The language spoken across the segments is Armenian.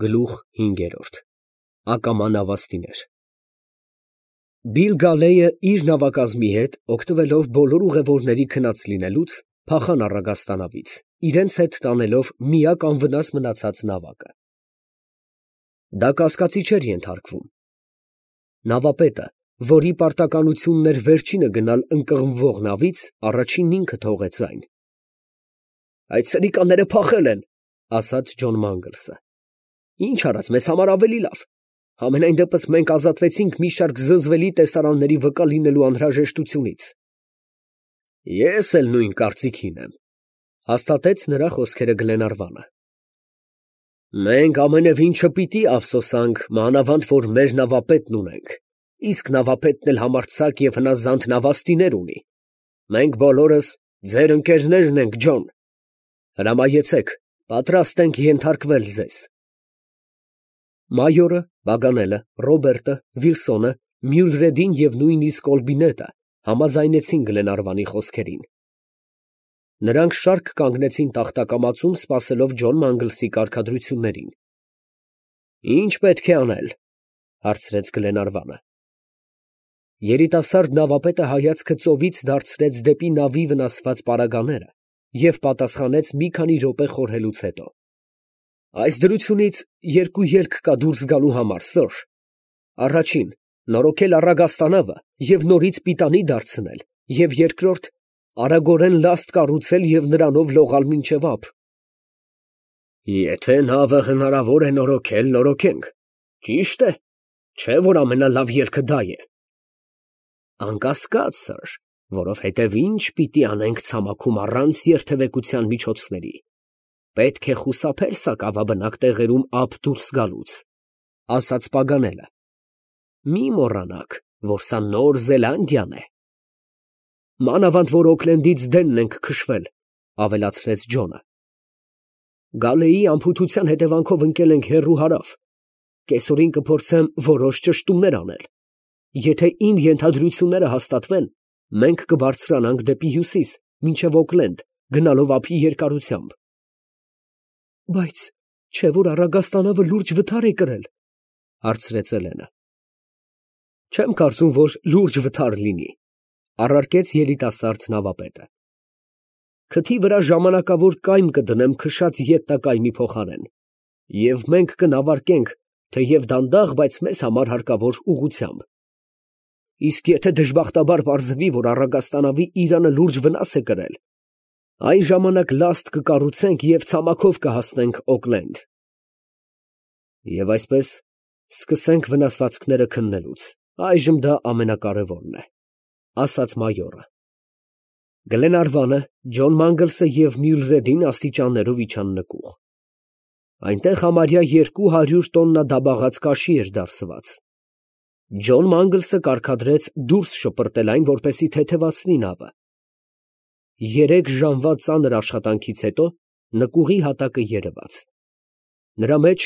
Գլուխ 5 Ակամա նավաստիներ Բիլ Գալեյը իր նավակազմի հետ, օգտվելով բոլոր ուղևորների քնած լինելուց, փախան առագաստանավից, իրենց հետ տանելով միակ անվնաս մնացած նավակը։ Դա կասկածի չէր ենթարկվում։ Նավապետը, որի պարտականությունն էր վերջինը գնալ ընկղմվող նավից, առաջինն ինքը թողեց այն։ «Այդ սրիկաները փախել են», ասաց Ջոն Մանգլսը։ «Ինչ արած, մեզ համար ավելի լավ։ Համենայն դեպս մենք ազատվեցինք մի շարք զզվելի տեսարանների վկա լինելու անհրաժեշտությունից»։ «Ես էլ նույն կարծիքին եմ», հաստատեց նրա խոսքերը Գլենարվանը։ «Մենք ամենևին չպիտի ափսոսանք, մանավանդ որ մեր նավապետն ունենք, իսկ նավապետն էլ համարձակ և հնազանդ նավաստիներ ունի։ Մենք բոլորս ձեր ընկերներն ենք, Ջոն։ Հրամայեցեք, պատրաստ ենք ենթարկվել ձեզ»։ Մայորը, Պագանելը, Ռոբերտը, Վիլսոնը, Մյուլրեդին և նույնիսկ Կոլբինետը համաձայնեցին Գլենարվանի խոսքերին։ Նրանք շարք կանգնեցին տախտակամածում, սպասելով Ջոն Մանգլսի կարգադրություններին։ «Ի՞նչ պետք է անել», հարցրեց Գլենարվանը։ Երիտասարդ նավապետը հայացքը ծովից դարձրեց դեպի նավի վնասված պարագաները և պատասխանեց մի քանի րոպե խորհելուց հետո. «Այս դրությունից երկու ելք կա դուրս գալու համար, սըր. Առաջին, նորոգել առագաստանավը և նորից պիտանի դարձնել, և երկրորդ, արագորեն լաստ կառուցել և նրանով լողալ մինչև ափ»։ «Եթե նավը հնարավոր է նորոգել, նորոգենք, ճիշտ է, չէ՞ որ ամենալավ ելքը դա է»։ «Անկասկած, սըր, որովհետև ինչ պիտի անենք ցամաքում առանց երթևեկության միջոցների. պետք է խուսափել սակավաբնակ տեղերում ափ դուրս գալուց», ասաց Պագանելը։ «Մի մոռանաք, որ սա Նոր Զելանդիան է»։ «Մանավանդ որ Օքլենդից դենն ենք քշվել», ավելացրեց Ջոնը։ «Գալեյի անփութության հետևանքով ընկել ենք հեռու հարավ. կեսօրին կփորձեմ որոշ ճշտումներ անել. եթե իմ ենթադրությունները հաստատվեն, մենք կբարձրանանք դեպի հյուսիս, մինչև Օքլենդ, գնալով ափի երկարությամբ»։ «Բայց չէ՞ որ առագաստանավը լուրջ վթար է կրել», հարցրեց Էլենը։ «Չեմ կարծում, որ լուրջ վթար լինի», առարկեց երիտասարդ նավապետը։ «Քթի վրա ժամանակավոր կայմ կդնեմ քշած ետնակայմի փոխարեն, և մենք կնավարկենք, թեև դանդաղ, բայց մեզ համար հարկավոր ուղղությամբ։ Իսկ եթե դժբախտաբար պարզվի, որ առագաստանավի իրանը լուրջ վնաս է կրել, այն ժամանակ լաստ կկառուցենք և ցամաքով կհասնենք Օքլենդ։ Եվ այսպես սկսենք վնասվածքները քննելուց, այժմ դա ամենակարևորն է», ասաց մայորը։ Գլենարվանը, Ջոն Մանգլսը և Մյուլրեդին աստիճաններով իջան նկուղ։ Այնտեղ համարյա 200 տոննա դաբաղած կաշի էր դարսված։ Ջոն Մանգլսը կարգադրեց դուրս շպրտել այն, որպեսզի թեթևացնի նավը։ 3 ժամվա ծանր աշխատանքից հետո նկուղի հատակը երևաց։ Նրա մեջ,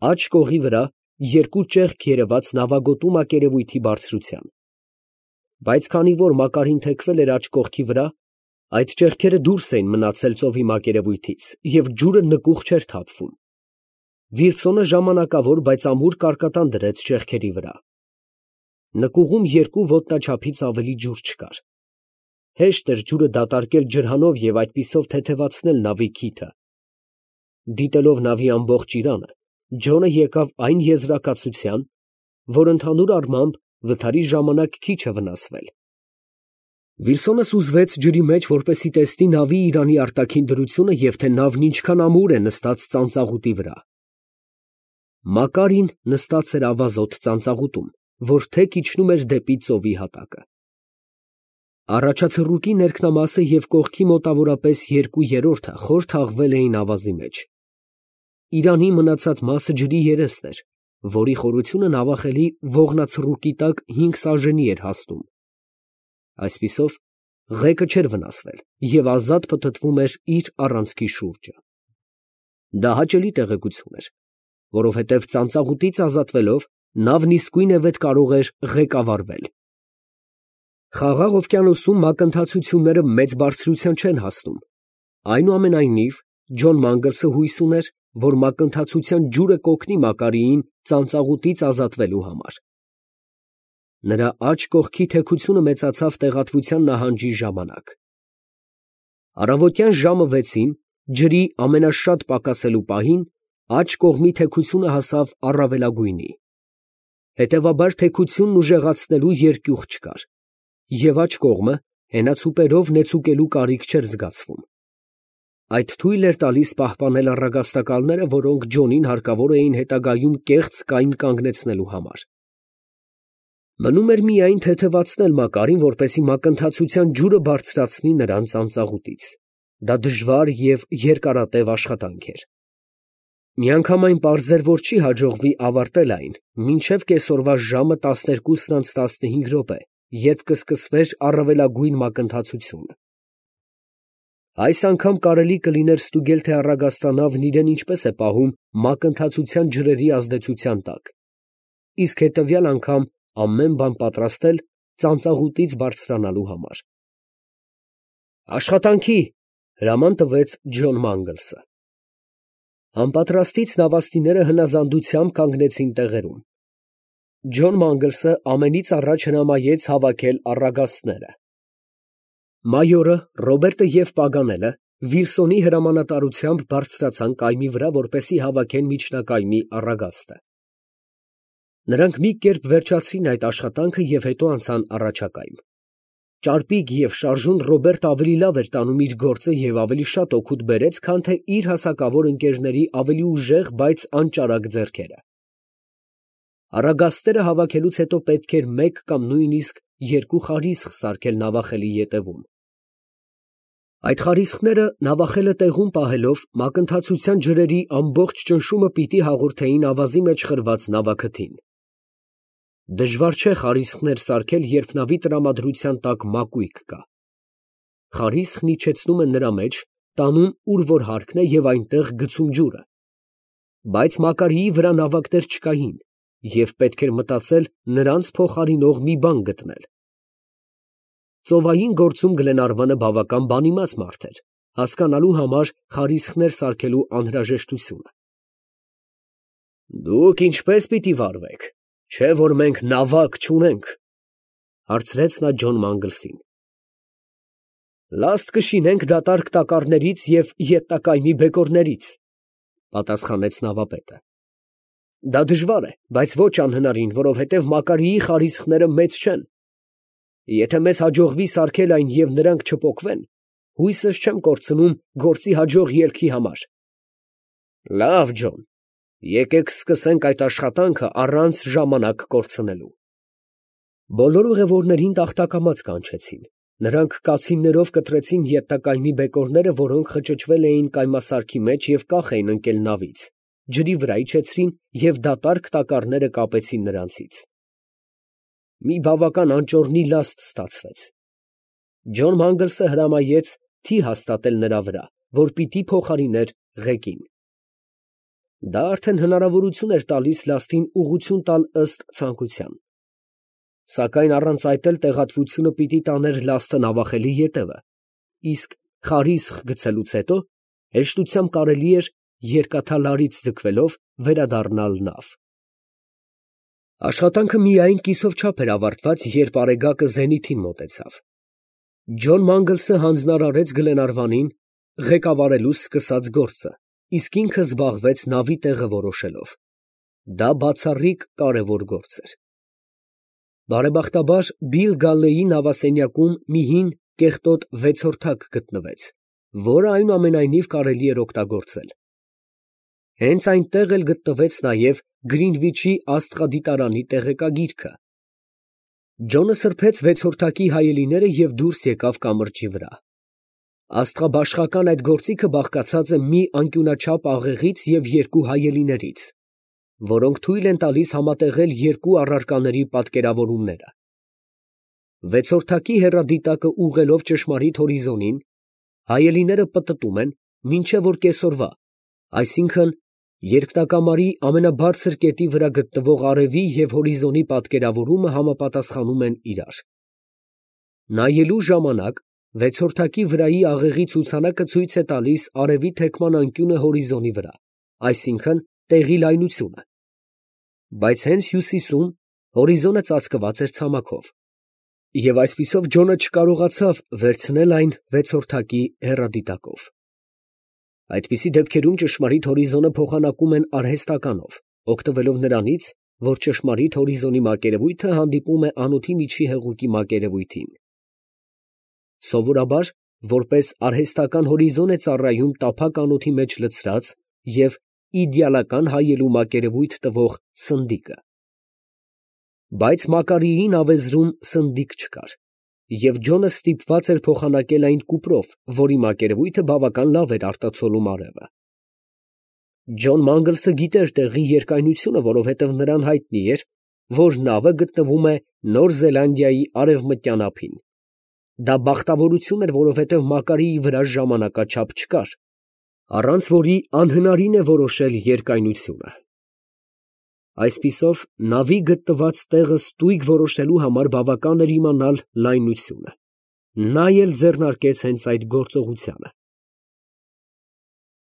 աջ կողի վրա, 2 ճեղք երևաց նավագոտու մակերևույթի բարձրության։ Բայց քանի որ Մակարին թեքվել էր աջ կողքի վրա, այդ ճեղքերը դուրս էին մնացել ծովի մակերևույթից և ջուրը նկուղ չէր թափվում։ Վիլսոնը ժամանակավոր, բայց ամուր կարկատան դրեց ճեղքերի վրա։ Նկուղում 2 ոտնաչափից ավելի ջուր չկար։ Հեշտ էր ջուրը դատարկել ջրհանով և այդպիսով թեթևացնել նավի քիթը։ Դիտելով նավի ամբողջ իրանը, Ջոնը եկավ այն եզրակացության, որ ընդհանուր առմամբ վթարի ժամանակ քիչ է վնասվել։ Վիլսոնը սուզվեց ջրի մեջ, որպեսզի տեսնի նավի իրանի արտաքին դրությունը և թե նավն ինչքան ամուր է նստած ծանծաղուտի վրա։ Մակարին նստած էր ավազոտ ծանծաղուտում, որ թեք իջնում էր դեպի ծովի հատակը։ Առաջացռուկի ներքնամասը և կողքի մոտավորապես 2/3-ը խոր թաղվել էին ավազի մեջ։ Իրանի մնացած մասը ջրի երեսն էր, որի խորությունը նավախելի ողնացռուկի տակ 5 սաժենի էր հասնում։ Այսպիսով, ղեկը չէր վնասվել և ազատ փթթվում էր իր առանցքի շուրջը։ Դա հաճելի տեղեկություն էր, որովհետև ծանծաղուտից ազատվելով, նավն իսկույնևեթ կարող էր ղեկավարվել։ Խաղաղ օվկիանոսում մակընթացությունները մեծ բարձրության չեն հասնում։ Այնուամենայնիվ, Ջոն Մանգլսը հույս ուներ, որ մակընթացության ջուրը կօգնի Մակարիին ծանծաղուտից ազատվելու համար։ Նրա աջ կողքի թեքությունը մեծացավ տեղատվության նահանջի ժամանակ։ Առավոտյան ժամը 6-ին, ջրի ամենաշատ պակասելու պահին, աջ կողմի թեքությունը հասավ առավելագույնի։ Հետևաբար թեքությունն ուժեղացնելու երկյուղ չկար, և աջ կողմը հենացուպերով նեցուկելու կարիք չէր զգացվում։ Այդ թույլ էր տալիս պահպանել առագաստակալները, որոնք Ջոնին հարկավոր էին հետագայում կեղծ կայմ կանգնեցնելու համար։ Մնում էր միայն թեթևացնել Մակարին, որպեսզի մակընթացության ջուրը բարձրացնի նրան ծանծաղուտից։ Դա դժվար և երկարատև աշխատանք էր։ Միանգամայն պարզ էր, որ չի հաջողվի ավարտել այն մինչև կեսօրվա ժամը 12:15, երբ կսկսվեր առավելագույն մակընթացությունը։ Այս անգամ կարելի կլիներ ստուգել, թե առագաստանավն իրեն ինչպես է պահում մակընթացության ջրերի ազդեցության տակ, իսկ հետևյալ անգամ ամեն բան պատրաստել ծանծաղուտից բարձրանալու համար։ «Աշխատանքի!» հրաման տվեց Ջոն Մանգլսը։ Անպատրաստից նավաստիները հնազանդությամբ կանգնեցին տեղերում։ Ջոն Մանգլսը ամենից առաջ հրամայեց հավաքել առագաստները։ Մայորը, Ռոբերտը և Պագանելը Վիլսոնի հրամանատարությամբ բարձրացան կայմի վրա, որպեսզի հավաքեն միջնակայմի առագաստը։ Նրանք մի կերպ վերջացրին այդ աշխատանքը և հետո անցան առաջակայմ։ Ճարպիկ և շարժուն Ռոբերտը ավելի լավ էր տանում իր գործը և ավելի շատ օգուտ բերեց, քան թե իր հասակավոր ընկերների ավելի ուժեղ, բայց անճարակ ձեռքերը։ Առագաստերը հավաքելուց հետո պետք էր մեկ կամ նույնիսկ երկու խարիսխ սարքել նավախելի ետևում։ Այդ խարիսխները նավախելը տեղում պահելով մակընթացության ջրերի ամբողջ ճնշումը պիտի հաղորդեին ավազի մեջ խրված նավաքթին։ Դժվար չէ խարիսխներ սարքել, երբ նավի տրամադրության տակ մակույկ կա։ Խարիսխն իջեցնում են նրա մեջ, տանում ուր որ հարկն է և այնտեղ գցում ջուրը։ Բայց Մակարիի վրա նավակներ չկային, և պետք էր մտածել նրանց փոխարինող մի բան գտնել։ Ծովային գործում Գլենարվանը բավական բանիմաց մարդ էր, հասկանալու համար խարիսխներ սարքելու անհրաժեշտությունը։ «Դուք ինչպե՞ս պիտի վարվեք, չէ՞ որ մենք նավակ չունենք», ֊ հարցրեց նա Ջոն Մանգլսին։ «Լաստ կշինենք դատարկ տակառներից և ետնակայմի բեկորներից», ֊ պատասխանեց նավապետը։ «Դա դժվար է, բայց ոչ անհնարին, որովհետև Մակարիի խարիսխները մեծ չեն։ Եթե մեզ հաջողվի սարքել այն և նրանք չպոկվեն, հույսս չեմ կորցնում գործի հաջող ելքի համար»։ «Լավ, Ջոն, եկեք սկսենք այդ աշխատանքը առանց ժամանակ կորցնելու»։ Բոլոր ուղևորներին տախտակամաց կանչեցին։ Նրանք կացիններով կտրեցին ետնակայմի բեկորները, որոնք խճճվել էին կայմասարքի մեջ և կախ էին ընկել նավից, ջրի վրա իջեցրին և դատարկ տակառները կապեցին նրանցից։ Մի բավական անճոռնի լաստ ստացվեց։ Ջոն Մանգլսը հրամայեց թի հաստատել նրա վրա, որ պիտի փոխարիներ ղեկին։ Դա արդեն հնարավորություն էր տալիս լաստին ուղղություն տալ ըստ ցանկության։ Սակայն առանց այդ էլ տեղատվությունը պիտի տաներ լաստը նավախելի ետևը, իսկ խարիսխ գցելուց հետո հեշտությամբ կարելի էր երկաթալարից ձգվելով վերադառնալ նավ։ Աշխատանքը միայն կիսով չափ էր ավարտված, երբ արեգակը զենիթին մոտեցավ։ Ջոն Մանգլսը հանձնարարեց Գլենարվանին ղեկավարելու սկսած գործը, իսկ ինքը զբաղվեց նավի տեղը որոշելով։ Դա բացառիկ կարևոր գործ էր։ Բարեբախտաբար Բիլ Գալլեի նավասենյակում մի հին կեղտոտ վեցորդակ գտնվեց, որը այնուամենայնիվ կարելի էր օգտագործել։ Հենց այնտեղ էլ գտնվեց նաև Գրինվիչի աստղադիտարանի տեղեկագիրքը։ Ջոնը սրբեց վեցորդակի հայելիները և դուրս եկավ կամրջի վրա։ Աստղաբաշխական այդ գործիքը բաղկացած է մի անկյունաչափ աղեղից և երկու հայելիներից, որոնք թույլ են տալիս համատեղել երկու առարկաների պատկերավորումները։ Վեցորդակի հեռադիտակը ուղղելով ճշմարիտ հորիզոնին, հայելիները պտտում են, մինչև որ կեսօրվա, այսինքն երկնակամարի ամենաբարձր կետի վրա գտնվող արևի և հորիզոնի պատկերավորումը համապատասխանում են իրար։ Նայելու ժամանակ վեցորդակի վրայի աղեղի ցուցանակը ցույց է տալիս արևի թեքման անկյունը հորիզոնի վրա, այսինքն տեղի լայնությունը, բայց հենց հյուսիսում հորիզոնը ծածկված էր ցամաքով, և այսպիսով Ջոնը չկարողացավ վերցնել այն վեցորդակի հեռադիտակով։ Այդպիսի դեպքերում ճշմարիտ հորիզոնը փոխանակում են արհեստականով, օգտվելով նրանից, որ ճշմարիտ հորիզոնի մակերևույթը հանդիպում է անոթի միջի հեղուկի մակերևույթին։ Սովորաբար, որպես արհեստական հորիզոն է ծառայում տափակ անոթի մեջ լցրած և իդեալական հայելու մակերևույթ տվող սնդիկը։ Բայց Մակարիին ավեզրում սնդիկ չկար, և Ջոնը ստիպված էր փոխանակել այն կուպրով, որի մակերևույթը բավական լավ էր արտացոլում արևը։ Ջոն Մանգլսը գիտեր տեղի երկայնությունը, որովհետև նրան հայտնի էր, որ նավը գտնվում է Նոր Զելանդիայի արևմտյան ափին։ Դա բախտավորություն էր, որովհետև Մակարիի վրա ժամանակաչափ չկար, առանց որի անհնարին է որոշել երկայնությունը։ Այսպիսով, նավի գտնված տեղը ստույգ որոշելու համար բավական էր իմանալ լայնությունը։ Նա էլ ձեռնարկեց հենց այդ գործողությանը։